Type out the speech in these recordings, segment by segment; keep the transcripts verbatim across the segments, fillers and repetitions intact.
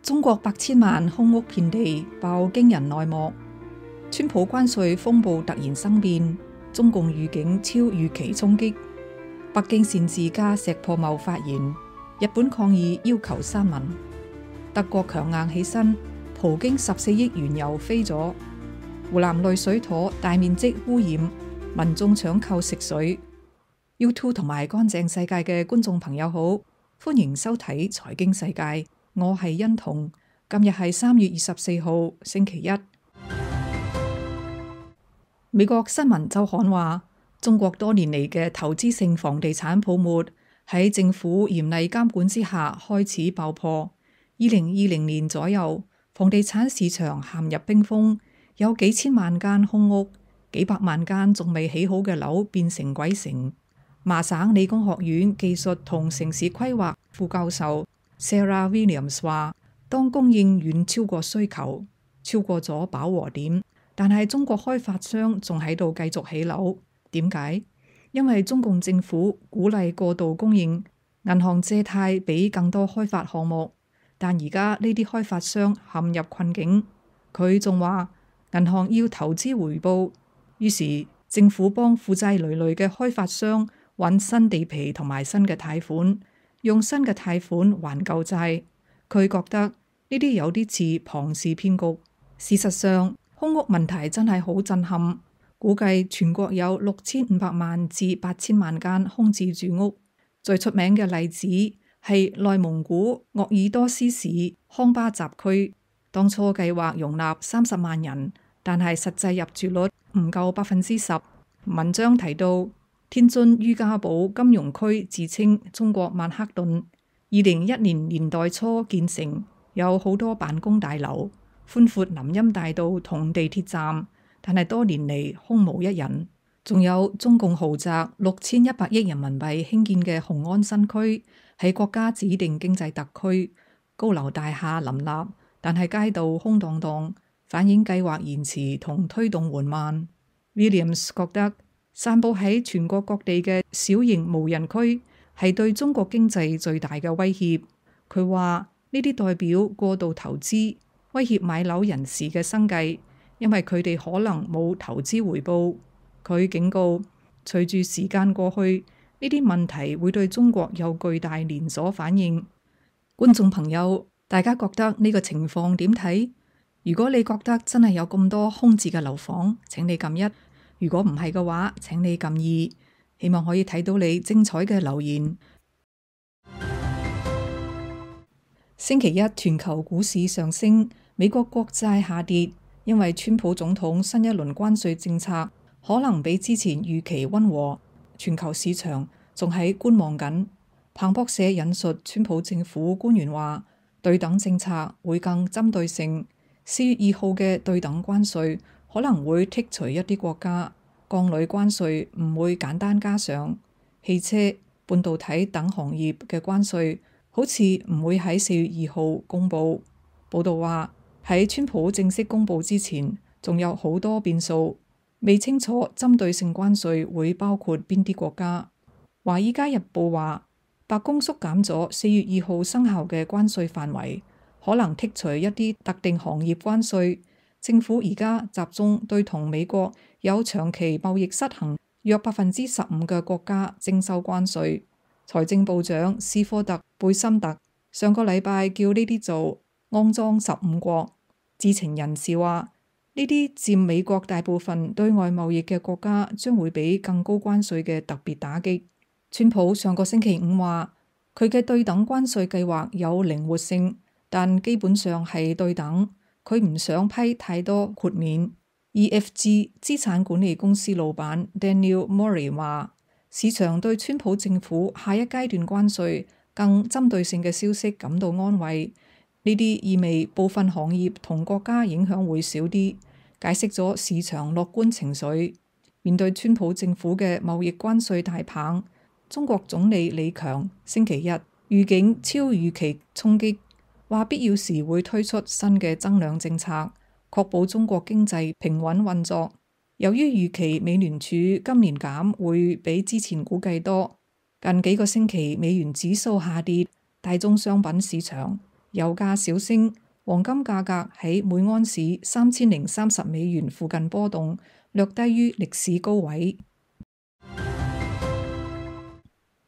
中國百千萬空屋遍地爆驚人內幕，川普關稅風暴突然生變，中共預警超預期衝擊，北京擅自加石破茂發言，日本抗議要求刪文，德國強硬起身，葡京十四億原油飛咗，湖南濾水塘大面積污染，民眾搶購食水。YouTube 同埋乾淨世界嘅觀眾朋友好，歡迎收睇財經世界。我係欣彤，今日係三月二十四號星期一。美國新聞週刊話，中國多年嚟嘅投資性房地產泡沫喺政府嚴厲監管之下開始爆破。二零二零年左右，房地產市場陷入冰封，有幾千萬間空屋，幾百萬間仲未起好嘅樓變成鬼城。麻省理工學院技術同城市規劃副教授Sarah Williams 話，當供應遠超過需求，超過咗飽和點，但係中國開發商仲喺度繼續起樓。點解？因為中共政府鼓勵過度供應，銀行借貸俾更多開發項目，但而家呢啲開發商陷入困境。佢仲話，銀行要投資回報，於是政府幫負債累累嘅開發商揾新地皮同埋新嘅貸款，用新嘅貸款還舊債。佢覺得呢啲有啲似龐氏騙局。事實上，空屋問題真係好震撼。估計全國有六千五百萬至八千萬間空置住屋。最出名嘅例子係內蒙古鄂爾多斯市康巴集區，當初計劃容納三十萬人，但係實際入住率唔夠百分之十。文章提到，天津于家堡金融區自稱中國曼克頓，二零一零年代初建成，有好多辦公大樓，寬闊林蔭大道同地鐵站，但係多年嚟空無一人。仲有中共豪宅六千一百億人民幣興建嘅雄安新區，喺國家指定經濟特區，高樓大廈林立，但係街道空蕩蕩，反映計劃延遲同推動緩慢。Williams 覺得，散佈喺全國各地嘅小型無人區係對中國經濟最大嘅威脅。佢話呢啲代表過度投資，威脅買樓人士嘅生計，因為佢哋可能冇投資回報。佢警告，隨住時間過去，呢啲問題會對中國有巨大連鎖反應。觀眾朋友，大家覺得呢個情況點睇？如果你覺得真係有咁多空置嘅樓房，請你撳一；如果唔係嘅話，請你撳二。希望可以睇到你精彩嘅留言。星期一全球股市上升，美國國債下跌，因為川普總統新一輪關稅政策可能比之前預期溫和，全球市場仲喺觀望緊。彭博社引述川普政府官員話，對等政策會更針對性。四月二號嘅對等關稅可能會剔除一啲國家，鋼鋁關稅唔會簡單加上，汽車、半導體等行業嘅關稅好似唔會喺四月二號公佈。報道話，喺川普正式公佈之前，仲有好多變數，未清楚針對性關稅會包括邊啲國家。華爾街日報話，白宮縮減咗四月二號生效嘅關稅範圍，可能剔除一啲特定行業關稅。政府而家集中對同美國有長期貿易失衡約百分之十五嘅國家徵收關稅。財政部長斯科特貝森特上個禮拜叫呢啲做骯髒十五國。知情人士話，呢啲佔美國大部分對外貿易嘅國家將會俾更高關稅嘅特別打擊。川普上個星期五話，佢嘅對等關稅計劃有靈活性，但基本上係對等。佢唔想批太多豁免。E F G 資產管理公司老闆 Daniel Murray 話，市場對川普政府下一階段關稅更針對性嘅消息感到安慰。呢啲意味部分行業同國家影響會少啲，解釋咗市場樂觀情緒。面對川普政府嘅貿易關稅大棒，中國總理李強星期一預警超預期衝擊，話必要時會推出新嘅增量政策，確保中國經濟平穩運作。由於預期美聯儲今年減會比之前估計多，近幾個星期美元指數下跌，大宗商品市場油價小升，黃金價格喺每盎司三千零三十美元附近波動，略低於歷史高位。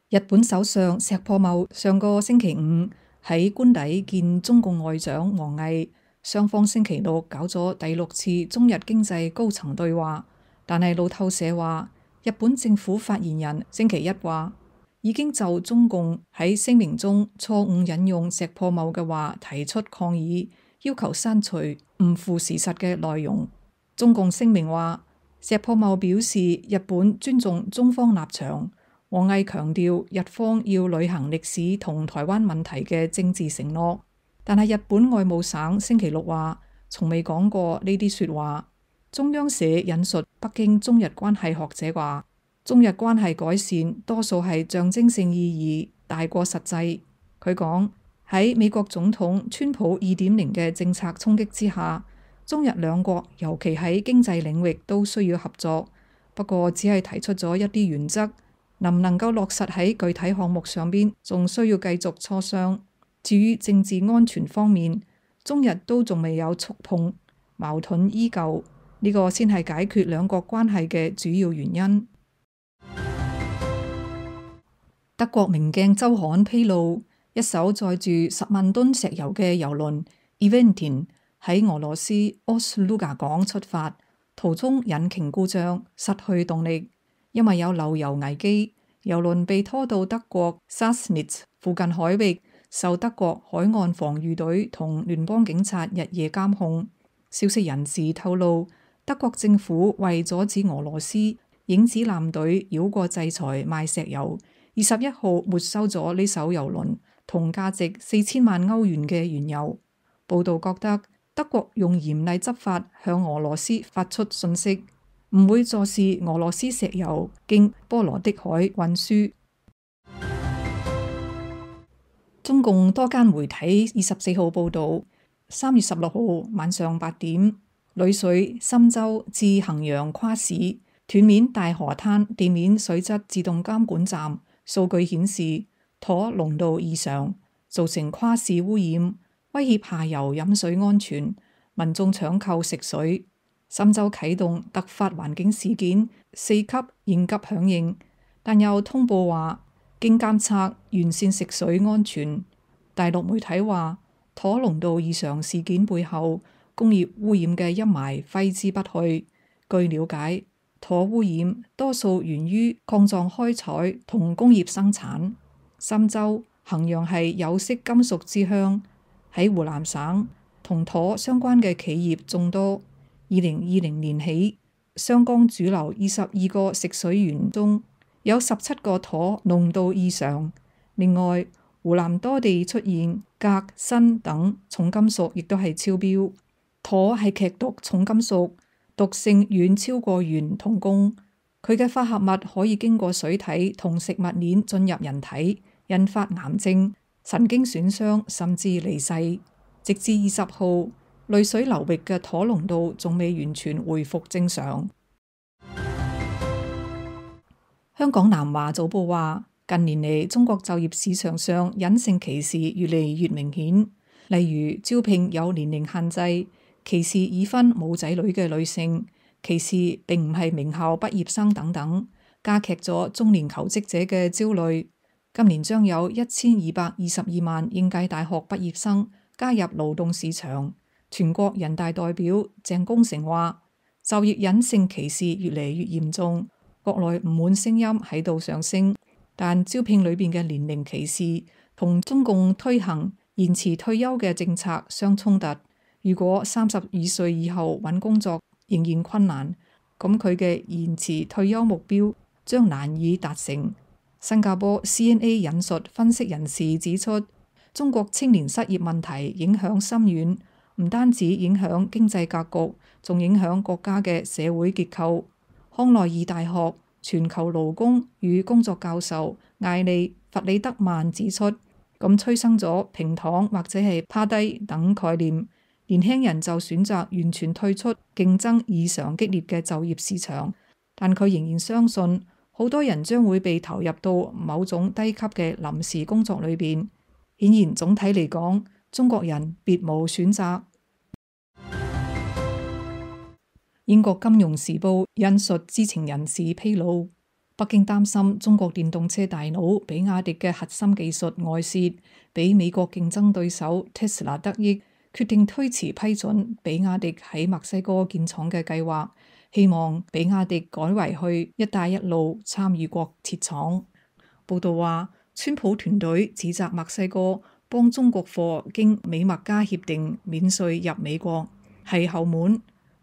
日本首相石破茂上個星期五喺官邸見中共外長王毅，雙方星期六搞咗第六次中日經濟高層對話。但係路透社話，日本政府發言人星期一話，已經就中共喺聲明中錯誤引用石破茂嘅話提出抗議，要求刪除唔符事實嘅內容。中共聲明話，石破茂表示日本尊重中方立場。王毅強調日方要履行歷史同台灣問題嘅政治承諾，但係日本外務省星期六話，從未講過呢啲說話。中央社引述北京中日關係學者話，中日關係改善多數係象徵性意義大過實際。佢講，喺美國總統川普二點零嘅政策衝擊之下，中日兩國尤其喺經濟領域都需要合作，不過只係提出咗一啲原則。能唔能夠落實喺具體項目上邊，仲需要繼續磋商。至於政治安全方面，中日都仲未有觸碰，矛盾依舊，呢個先係解決兩國關係嘅主要原因。德國明鏡週刊披露，一艘載住十萬噸石油嘅油輪 Eventin 喺俄羅斯 Ust-Luga 港出發，途中引擎故障，失去動力。因為有漏油危機，油輪被拖到德國 Sassnitz 附近海域，受德國海岸防禦隊同聯邦警察日夜監控。消息人士透露，德國政府為阻止俄羅斯影子艦隊繞過制裁賣石油，二十一號沒收咗呢艘油輪同價值四千萬歐元嘅原油。報道覺得德國用嚴厲執法向俄羅斯發出訊息，唔會坐視俄羅斯石油經波羅的海運輸。中共多間媒體二十四號報導，三月十六號晚上八點，旅水深州至衡陽跨市斷面大河灘地面水質自動監管站數據顯示，妥濃度異常，造成跨市污染，威脅下游飲水安全，民眾搶購食水。深州啟動突發環境事件四級應急響應，但又通報話經監測完善食水安全。大陸媒體話，妥濃度異常事件背後工業污染嘅陰霾揮之不去。據了解，妥污染多數源於礦藏開採同工業生產。深州衡陽係有色金屬之鄉，喺湖南省同妥相關嘅企業眾多。二零二零年起，湘江主流二十二個食水源中有十七個妥濃度異常。另外，湖南多地出現鎘、砷等重金屬，亦都係超標。妥係劇毒重金屬，毒性遠超過鉛同汞。佢嘅化合物可以經過水體同食物鏈進入人體，引發癌症、神經損傷，甚至離世。直至二十號，濾水流域嘅妥濃度仲未完全恢復正常。香港南華早報話，近年嚟中國就業市場上隱性歧視越嚟越明顯，例如招聘有年齡限制、歧視已婚冇仔女嘅女性、歧視並唔係名校畢業生等等，加劇咗中年求職者嘅焦慮。今年將有一千二百二十二萬應屆大學畢業生加入勞動市場。全國人大代表鄭功成話，就業隱性歧視越嚟越嚴重，國內唔滿聲音喺度上升，但招聘裏邊嘅年齡歧視同中共推行延遲退休嘅政策相衝突。如果三十二歲以後揾工作仍然困難，咁佢嘅延遲退休目標將難以達成。新加坡 C N A 引述分析人士指出，中國青年失業問題影響深遠。唔單止影響經濟格局，仲影響國家嘅社會結構。康奈爾大學全球勞工與工作教授艾利弗里德曼指出，咁催生咗平躺或者係趴低等概念，年輕人就選擇完全退出競爭異常激烈嘅就業市場。但佢仍然相信，好多人將會被投入到某種低級嘅臨時工作裏邊。顯然總體嚟講，中國人別無選擇。英國金融時報引述知情人士披露，北京擔心中國電動車大佬比亞迪嘅核心技術外泄，俾美國競爭對手 Tesla 得益，決定推遲批准比亞迪喺墨西哥建廠嘅計劃，希望比亞迪改為去一帶一路參與國設廠。報道話，川普團隊指責墨西哥幫中國貨經美墨加協定免稅入美國係後門。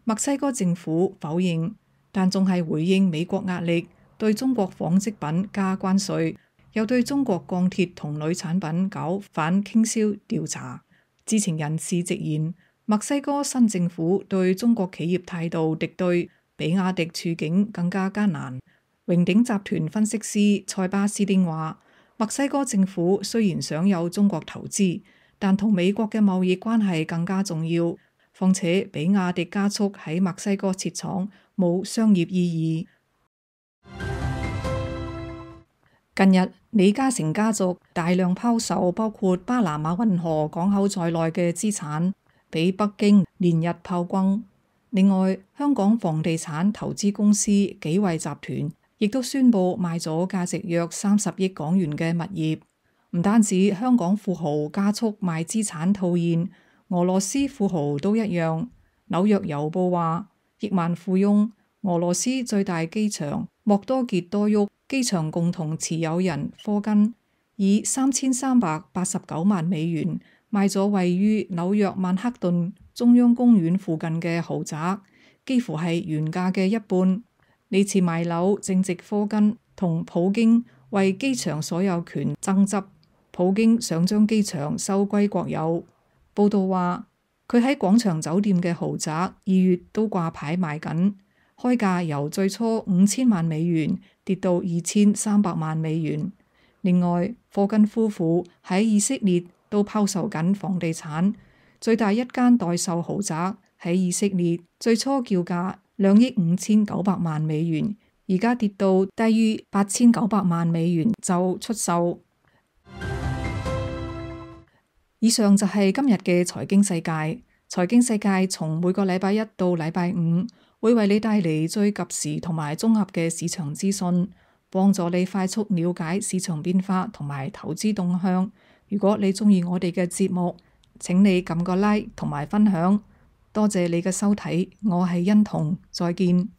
墨西哥政府否認，但仲係回應美國壓力，對中國紡織品加關稅，又對中國鋼鐵同鋁產品搞反傾銷調查。知情人士直言，墨西哥新政府對中國企業態度敵對，比亞迪處境更加艱難。榮鼎集團分析師塞巴斯丁話，墨西哥政府雖然想有中國投資，但同美國嘅貿易關係更加重要。況且比亞迪加速喺墨西哥設廠冇商業意義。近日李嘉誠家族大量拋售包括巴拿馬運河港口在內嘅資產，俾北京連日炮轟。另外，香港房地產投資公司紀惠集團亦都宣布賣咗價值約三十億港元嘅物業。唔單止香港富豪加速賣資產套現，俄羅斯富豪都一樣。紐約郵報話，億萬富翁俄羅斯最大機場莫多傑多沃機場共同持有人科根以三千三百八十九萬美元賣咗位於紐約曼克頓中央公園附近嘅豪宅，幾乎係原價嘅一半。呢次賣樓正值科根同普京為機場所有權爭執，普京想將機場收歸國有。報道話，佢喺廣場酒店嘅豪宅二月都掛牌賣緊，開價由最初五千萬美元跌到二千三百萬美元。另外，科根夫婦喺以色列都拋售緊房地產，最大一間代售豪宅喺以色列最初叫價兩億五千九百萬美元，而家跌到低於八千九百萬美元就出售。以上就係今日嘅財經世界。財經世界從每個禮拜一到禮拜五會為你帶嚟最及時同埋綜合嘅市場資訊，幫助你快速了解市場變化同埋投資動向。如果你鍾意我哋嘅節目，請你撳個 like 同埋分享。多謝你嘅收睇，我係欣彤，再見。